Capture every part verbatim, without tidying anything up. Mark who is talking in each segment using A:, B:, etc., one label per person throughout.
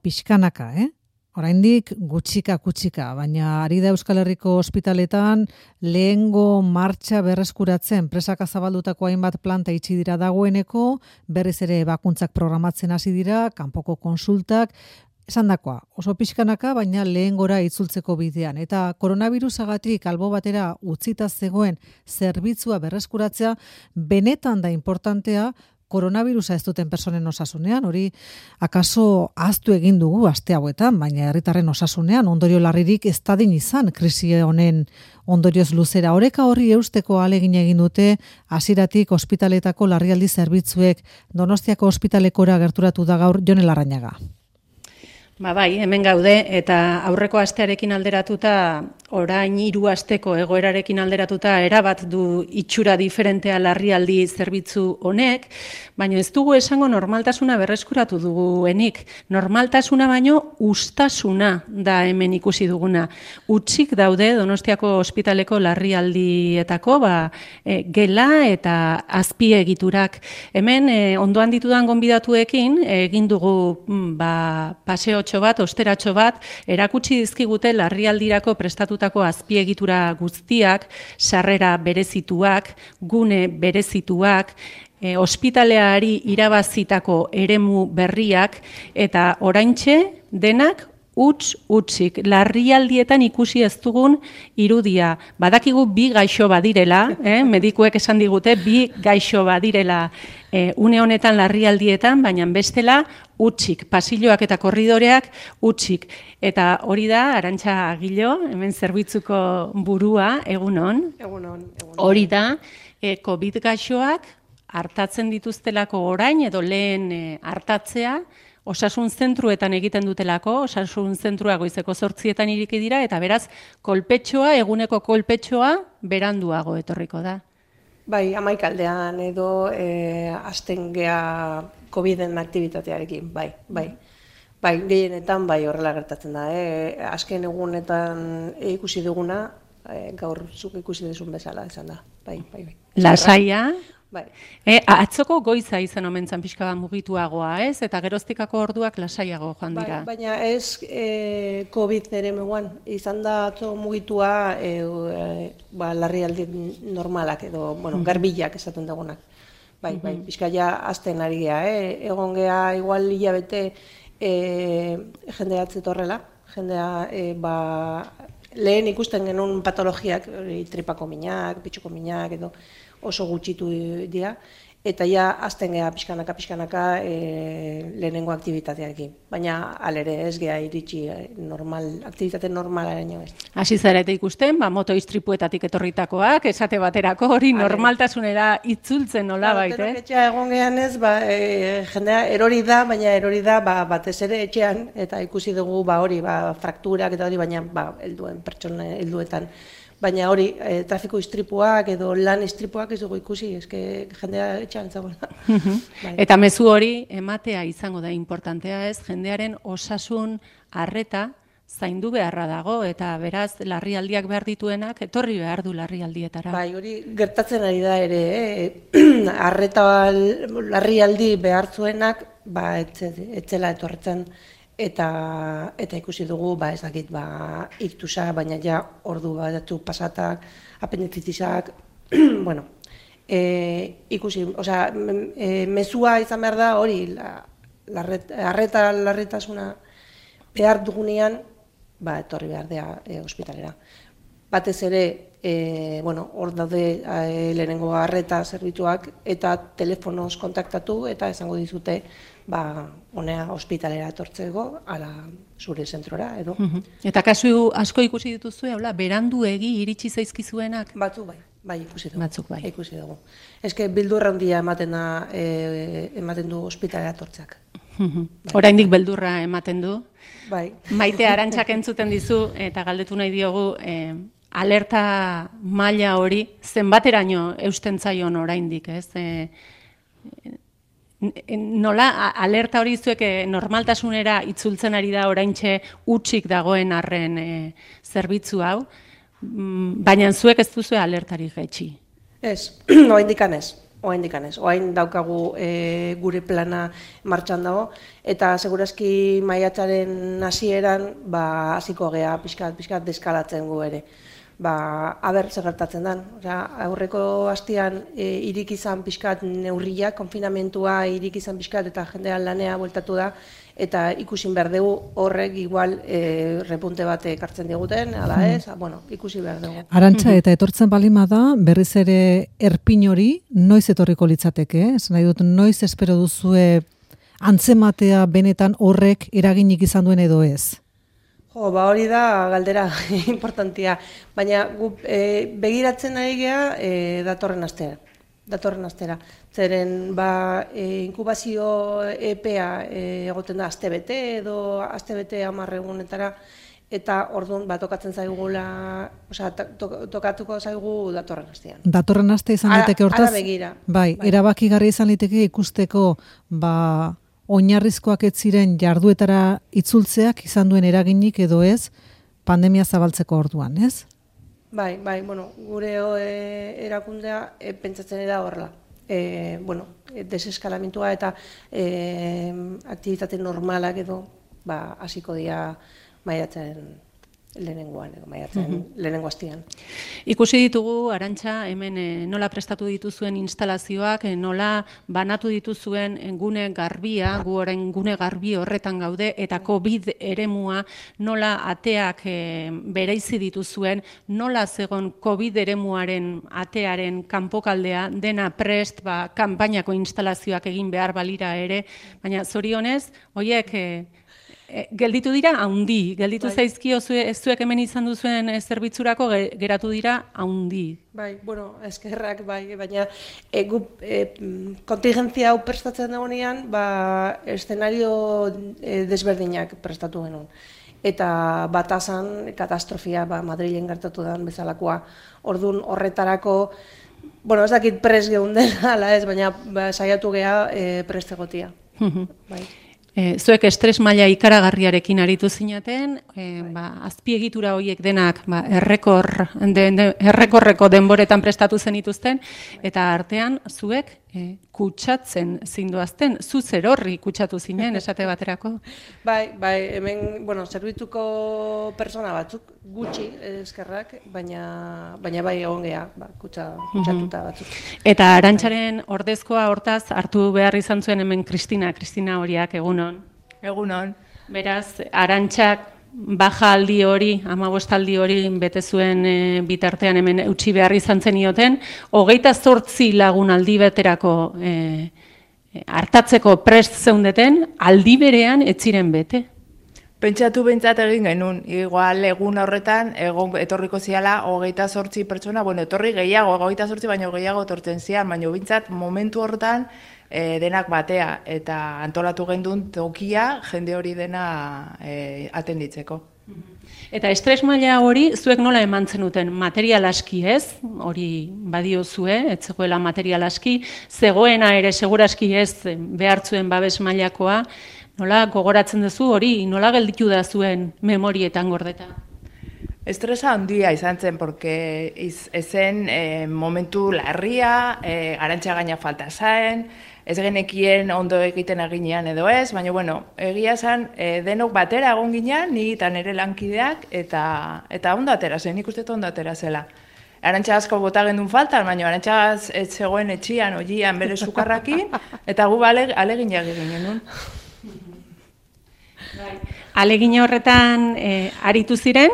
A: pixkanaka, eh? Oraindik gutxika gutxika, baina ari da Euskal Herriko ospitaletan lehengo martxa berreskuratzen presaka zabaldutako hainbat planta itxi dira dagoeneko, berriz ere bakuntzak programatzen hasi dira, kanpoko konsultak, esandakoa, oso pixkanaka, baina lehengora itzultzeko bidean. Eta koronavirusagatik albo batera utzita zegoen zerbitzua berreskuratzea, benetan da importantea, koronavirusa ez duten personen osasunean, hori akaso ahaztu egin dugu aste hauetan, baina herritarren osasunean ondorio larririk ez dadin izan krisi honen ondorioz luzera. Oreka horri eusteko ahalegin egin dute hasieratik ospitaletako larrialdi zerbitzuek. Donostiako ospitalekora gerturatu da gaur Jon Larrañaga.
B: Ba bai, hemen gaude eta aurreko astearekin alderatuta, orain hiru asteko egoerarekin alderatuta erabat du itxura diferentea larrialdi zerbitzu honek, baina ez dugu esango normaltasuna berreskuratu duguenik. Normaltasuna baino ustasuna da hemen ikusi duguna. Hutsik daude Donostiako ospitaleko larrialdietako ba, e, gela eta azpiegiturak. Hemen e, ondoan ditudan gonbidatuekin egin dugu ba, paseo bat, osteratxo bat, erakutsi dizkigute larrialdirako prestatutako azpiegitura guztiak, sarrera berezituak, gune berezituak, e, ospitaleari irabazitako eremu berriak, eta oraintxe denak huts hutsik, larrialdietan ikusi ez dugun irudia. Badakigu bi gaixo badirela, eh? medikuek esan digute, bi gaixo badirela eh, une honetan larrialdietan, baina bestela hutsik, pasilloak eta korridoreak hutsik. Eta hori da, Arantxa Agilo, hemen zerbitzuko burua, egunon.
C: Egunon, egunon.
B: Hori da, eh, COVID gaixoak hartatzen dituztelako orain, edo lehen eh, hartatzea, osasun zentruetan egiten dutelako, osasun zentrua goizeko zortzietan iriki dira, eta beraz, kolpetxoa, eguneko kolpetxoa, beranduago etorriko da.
C: Bai, amaikaldean edo e, hasten gea COVIDen aktibitatearekin, bai, bai. Bai, gehienetan bai horrela gertatzen da. E, azken egunetan ikusi duguna, e, gaur zuk ikusi duzun bezala izan da. Bai, bai, bai.
B: Lasaia.
C: Bai.
B: E, atzoko goiza izan omen zan pixka bat mugituagoa, ez? Eta geroztikako orduak lasaiago joan dira.
C: Bai, baina ez e, COVID ere meguan, izan da atzo mugitua e, e, ba, larrialdi normalak edo, bueno, garbilak esaten dugunak. Bai, bai, pixka ja azten ari gea, eh? Egon gea igual hilabete e, jendea atzetorrela, jendea e, ba, lehen ikusten genuen patologiak, tripako minak, pitxuko minak edo, oso gutxitu dira, eta ja azten geha pixkanaka, pixkanaka e, lehenengo aktibitatearekin. Baina alere ez geha iritsi normal, aktibitate normalaren ez.
B: Hasi zarete ikusten, ba, moto istripuetatik etorritakoak, esate baterako hori normaltasunera itzultzen nola baita, eh?
C: Etxea egon gehan ez, ba, e, jendea erori da, baina erori da ba, batez ere etxean, eta ikusi dugu ba, hori, ba, frakturak eta hori, baina ba, helduen pertsona helduetan. Baina hori, e, trafiko istripuak edo lan istripuak ez dugu ikusi, eske jendea etxean zagoela. Bai.
B: Eta mezu hori ematea izango da importantea ez, jendearen osasun arreta zaindu beharra dago, eta beraz larrialdiak behar dituenak etorri behar du larrialdietara.
C: Bai, hori gertatzen ari da ere, eh? Arreta larrialdi behar zuenak, ba, etzela etorretzen. Eta, eta ikusi dugu, ba, ez dakit, ba, iktusa, baina ja ordu batzu pasatak, apendizitisak, bueno, e, ikusi, osea, e, mezua izan behar da hori, la, larret, arreta larretasuna behar dugunean, ba, etorri behar da e, ospitalera. Batez ere, e, bueno, hor daude e, lehenengo arreta zerbitzuak eta telefonoz kontaktatu eta esango dizute, ba, honea ospitalera etortzeko, ala zure zentrora, edo.
B: Uh-huh. Eta kasu asko ikusi dituzu, hola, beranduegi iritsi zaizkizuenak?
C: Batzu bai, bai ikusi dugu.
B: Batzuk bai.
C: Ikusi dugu. Eske beldurra handia ematen da, e, ematen du ospitalera etortzeak.
B: Uh-huh. Bai. Oraindik beldurra ematen du.
C: Bai.
B: Maite Arantxak entzuten dizu, eta galdetu nahi diogu, eh, alerta maila hori zenbateraino eusten zaion oraindik, ez? Eh, Nola, alerta hori zuek normaltasunera itzultzen ari da oraintxe hutsik dagoen arren e, zerbitzu hau, baina zuek ez duzu alertari jaitsi.
C: Ez, oraindik ez. Oain dikanez, oain daukagu e, gure plana martxan dago, eta segurazki maiatzaren hasieran ba, hasiko gea pixkat, pixkat deskalatzen gu ere. Ba, aber zer gertatzen den. Osea, aurreko hastian e, irik izan pixkat neurriak, konfinamentua irik izan pixkat eta jendean lanea bueltatu da, eta ikusin behar dugu horrek igual e, repunte bat ekartzen diguten, ala ez, bueno, ikusi behar dugu.
A: Arantxa, eta etortzen balima da, berriz ere erpin hori noiz etorriko litzateke, eh? Esan nahi dut, noiz espero duzue antzematea benetan horrek eraginik izan duen edo ez?
C: Jo, ba hori da galdera importantia, baina gu e, begiratzen ari gea e, datorren astera. datorren astera. Zeren, ba, e, inkubazio epea e, egoten da astebete edo astebete hamar egunetara, eta orduan ba, tokatzen zaigula, osea, to, tokatuko zaigu datorren astean.
A: Datorren aste izan liteke hortaz?
C: Ara begira.
A: Bai, bai. Erabakigarri izan liteke ikusteko, ba, oinarrizkoak ez ziren jarduetara itzultzeak izan duen eraginik edo ez, pandemia zabaltzeko orduan, ez?
C: Bai, bai, bueno, gure e, erakundea e, pentsatzen da horrela. E, bueno, deseskalamentua eta e, aktibitate normalak edo ba, hasiko dira maiatzen lehenengoan, edo maiatzen mm-hmm. lehenengo hastian.
B: Ikusi ditugu, Arantxa, hemen e, nola prestatu dituzuen instalazioak, e, nola banatu dituzuen gune garbia, gu orain gune garbi horretan gaude, eta COVID eremua nola ateak e, bereizi dituzuen, nola zegon COVID eremuaren atearen kanpokaldea, dena prest, ba, kanpainako instalazioak egin behar balira ere, baina zorionez, horiek e, gelditu dira haundi, gelditu bai. Zaizkio zuek hemen izan duzuen zerbitzurako geratu dira haundi.
C: Bai, bueno, eskerrak bai, baina e, gu, e, kontingentzia hau prestatzen dagoenean, ba, eszenario e, desberdinak prestatu genuen. Eta batazan katastrofia ba, Madrilen gertatu den bezalakoa. Orduan horretarako, bueno, ez dakit prest geunden, ala ez, baina ba, saiatu geha e, prest egotia. Bai.
B: E, zuek estres maila ikaragarriarekin aritu zinaten, e, ba, azpiegitura horiek denak ba, errekor, de, de, errekorreko denboretan prestatu zenituzten, eta artean zuek e, kutsatzen zinduazten, zu zer horri kutsatu zinen, esate baterako?
C: Bai, bai, hemen, bueno, zerbituko persona batzuk, gutxi eskerrak, baina, baina bai egon geha, ba, kutsa, kutsatuta batzuk.
B: Eta Arantxaren ordezkoa hortaz hartu behar izan zuen hemen Kristina, Kristina horiak egunon.
D: Egunon.
B: Beraz, Arantxak baja aldi hori, hamabost aldi hori bete zuen e, bitartean hemen utzi behar izan zenioten, hogeita zortzi lagun aldi beterako e, hartatzeko prest zeundeten, aldi berean ez ziren bete.
D: Pentsatu behintzat egin genuen, igual egun horretan, egon etorriko ziala hogeita zortzi pertsona, bueno, etorri gehiago, hogeita zortzi baino gehiago etortzen zian, baina behintzat momentu horretan e, denak batea, eta antolatu gendun tokia jende hori dena e, atenditzeko.
B: Eta estres maila hori, zuek nola eman zenuten material aski ez, hori badio zue, ez zegoela material aski, zegoena ere seguraski ez behartzuen babes mailakoa, nola gogoratzen duzu hori, nola gelditu da zuen memorietan gordeta?
D: Estresa handia izan zen, porque iz, ezen e, momentu larria, e, Arantxa gaina falta zaen, ez genekien ondo egiten eginean edo ez, baina bueno, egia zen e, denok batera egon ginean, ni eta nire lankideak, eta, eta ondo atera zen, nik uste ondo atera zela. Arantxa asko bota gendun faltan, baina Arantxa ez zegoen etxian, oian bere sukarrakin, eta gu ale, aleginak egin genuen.
B: Alegin horretan e, aritu ziren,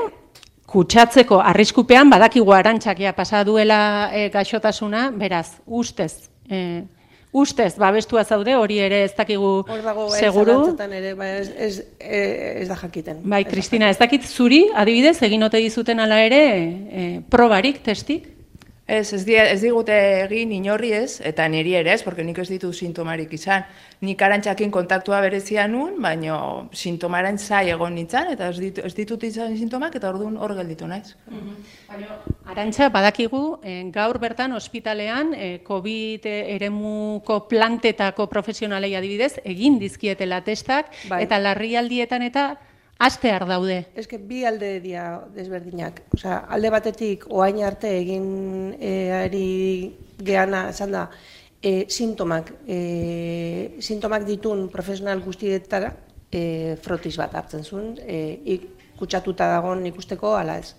B: kutsatzeko arriskupean, badakigu Arantxakia pasa duela e, gaixotasuna, beraz, ustez, e, ustez, babestua zaude, hori ere ez dakigu seguru.
C: Hor dago, ere, ba, ez, ez, ez da jakiten.
B: Bai, Kristina, ez dakit zuri, adibidez, egin ote dizuten ala ere, e, probarik, testik?
D: Ez, ez, di, ez digute egin inorri ez, eta niri ere ez, porque nik ez ditu sintomarik izan. Nik Arantxakin kontaktua berezia nun, baina sintomaren zai egon nintzen, eta ez, ditu, ez ditut izan sintomak, eta orduan hor gelditu naiz.
B: Mm-hmm. Arantxa, badakigu, eh, gaur bertan ospitalean, eh, COVID eremuko plantetako profesionalei adibidez, egin dizkietela testak, bai. Eta larrialdietan eta astear daude.
C: Ez que bi alde dira desberdinak. Osea, alde batetik oain arte egin e, ari geana esan da e, sintomak, e, sintomak ditun profesional guztietara e, frotis bat hartzen zuen, e, kutsatuta dagoen ikusteko ala ez.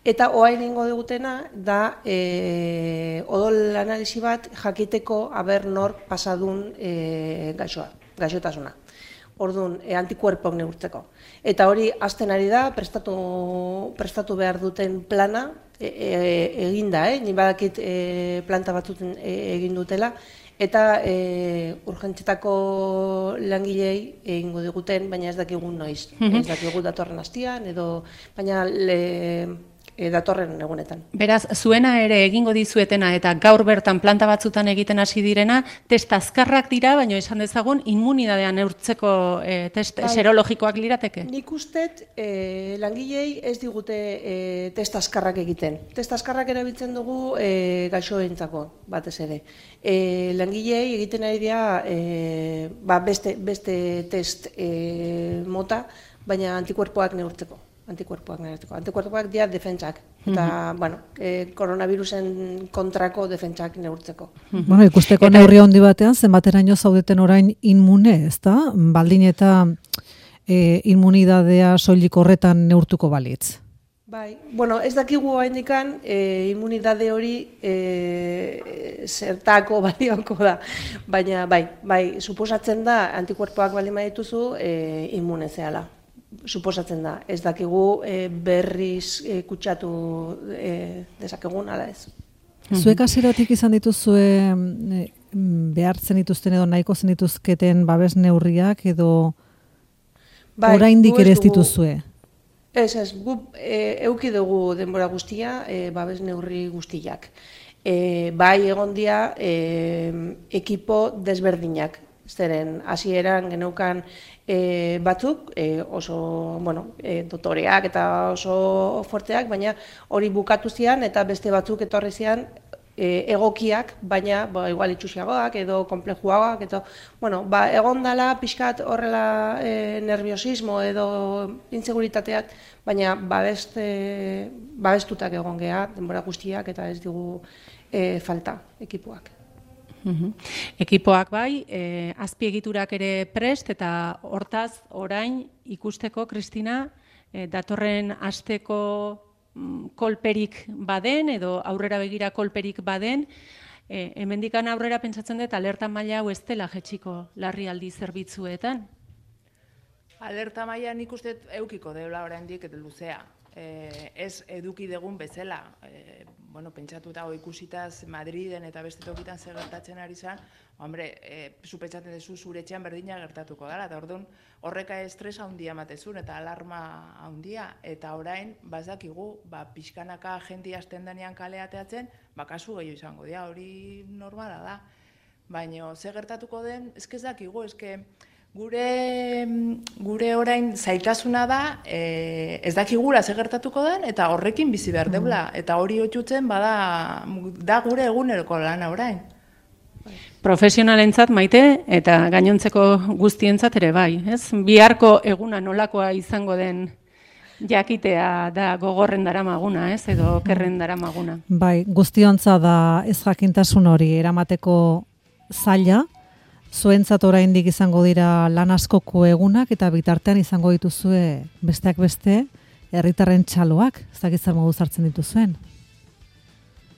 C: Eta oain ingo dugutena da e, odol analisi bat jakiteko aber nork pasadun e, gaixoa, gaixotasuna. Orduan, e, antikuerpok neurtzeko. Eta hori hasten ari da, prestatu, prestatu behar duten plana e, e, eginda, eh? Ni badakit e, planta batzuten e, egin dutela, eta e, urgentzietako langilei egingo diguten, baina ez dakigun noiz. Mm-hmm. Ez dakigu datorren hastian, edo, baina le, e, datorren egunetan.
B: Beraz, zuena ere egingo dizuetena eta gaur bertan planta batzutan egiten hasi direna, test azkarrak dira, baina esan dezagun immunidadea neurtzeko e, test bai. Serologikoak lirateke?
C: Nik ustet e, langilei ez digute e, test azkarrak egiten. Test azkarrak erabiltzen dugu e, gaixoentzako batez ere. E, langilei egiten ari dira e, ba, beste, beste test e, mota, baina antikuerpoak neurtzeko. Antikuerpoak neurtzeko. Antikuerpoak dira defentsak. Eta, mm-hmm. bueno, e, koronavirusen kontrako defentsak neurtzeko.
A: Mm-hmm. Bueno, ikusteko eta neurri handi batean, zenbateraino zaudeten orain inmune, ezta? Baldin eta e, immunidadea soilik horretan neurtuko balitz.
C: Bai, bueno, ez dakigu oraindikan e, immunidade hori e, zertako balioko da, baina bai, bai, suposatzen da antikuerpoak baldin badituzu e, immune zehala. Suposatzen da, ez dakigu e, berriz e, kutsatu e, dezakegun, ala ez.
A: Zuek hasieratik izan dituzue e, behartzen dituzten edo nahiko zen dituzketen babes neurriak edo bai, oraindik ere ez dituzue?
C: Ez, ez, gu e, euki dugu denbora guztia, e, babes neurri guztiak. E, bai egon dira e, ekipo desberdinak. Zeren, hasieran geneukan e, batzuk, e, oso, bueno, e, dotoreak eta oso fuerteak, baina hori bukatu zian eta beste batzuk etorri zian e, egokiak, baina ba, igual itxusiagoak edo komplejuagoak, eta, bueno, ba, egon dala pixkat horrela e, nerviosismo edo inseguritateak, baina babest, e, babestutak egon geha, denbora guztiak eta ez digu e, falta ekipoak.
B: Uhum. Ekipoak bai, e, azpiegiturak ere prest eta hortaz orain ikusteko, Kristina, e, datorren asteko mm, kolperik baden edo aurrera begira kolperik baden, e, hemendikan aurrera pentsatzen dut alerta maila hau ez dela jetxiko larrialdi zerbitzuetan.
D: Alerta maila nik uste eukiko deula oraindik eta luzea. E, ez eduki degun bezala, e, bueno, pentsatuta o ikusitaz Madriden eta beste tokitan zer gertatzen ari zen, hombre, e, zu pentsatzen duzu zure etxean berdina gertatuko dela, eta orduan horreka estresa handia ematezun eta alarma handia, eta orain, bazakigu, ba, pixkanaka jendia hasten denean kaleateatzen, ba, kasu gehiago izango dira, hori normala da. Baina, zer gertatuko den, ezke ez dakigu, ezke, Gure, gure orain zailtasuna da, e, ez dakigula zer gertatuko den, eta horrekin bizi behar deula. Eta hori otxutzen, bada, da gure eguneroko lana orain.
B: Profesionalentzat maite, eta gainontzeko guztientzat ere bai. Ez? Biharko eguna nolakoa izango den jakitea da gogorren daramaguna, ez? Edo kerren daramaguna.
A: Bai, guztiontza da ez jakintasun hori eramateko zaila, zuentzat oraindik izango dira lan askoko egunak eta bitartean izango dituzue besteak beste herritarren txaloak, ez dakit zer modu hartzen dituzuen.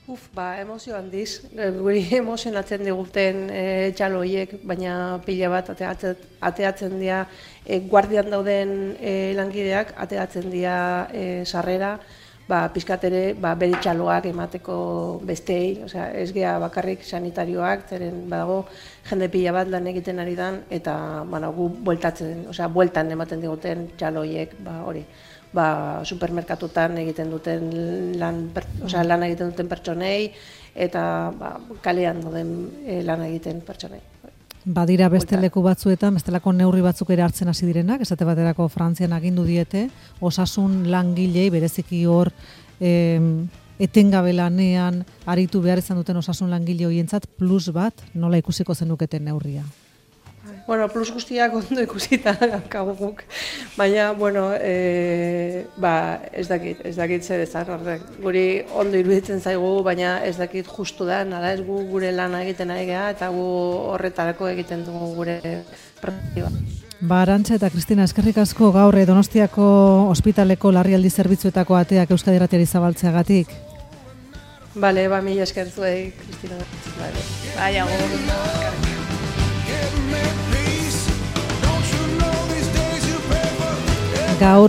C: Uf, ba, emozio handiz, guri emozionatzen diguten e, txalo horiek, baina pila bat ateatzen, ateatzen dira e, guardian dauden e, langideak, ateatzen dira e, sarrera, ba, pizkat ere ba, bere txaloak emateko bestei, osea, ez gea bakarrik sanitarioak, zeren badago jende pila bat lan egiten ari dan, eta bueno, gu bueltatzen, osea, bueltan ematen diguten txalo horiek, ba, hori, ba, supermerkatutan egiten duten lan, osea, lan egiten duten pertsonei, eta ba, kalean doden e, lan egiten pertsonei.
A: Badira beste leku batzuetan, bestelako neurri batzuk ere hartzen hasi direnak, esate baterako Frantzian agindu diete, osasun langilei bereziki hor e, etengabe lanean aritu behar izan duten osasun langile horientzat plus bat, nola ikusiko zenuketen neurria?
C: Bueno, plus guztiak ondo ikusita daukagu guk, baina, bueno, e, ba, ez dakit, ez dakit zer ezan horrek. Guri ondo iruditzen zaigu, baina ez dakit justu da, nada ez gu gure lana egiten ari geha, eta gu horretarako egiten dugu gure proiektua.
A: Ba, Arantxa eta Kristina, eskerrik asko gaur Donostiako ospitaleko larrialdi zerbitzuetako ateak Euskadi Irratiari zabaltzeagatik.
C: Bale, ba, mila esker zuei, Kristina. Bale.
D: Bai, agur.
A: Gaur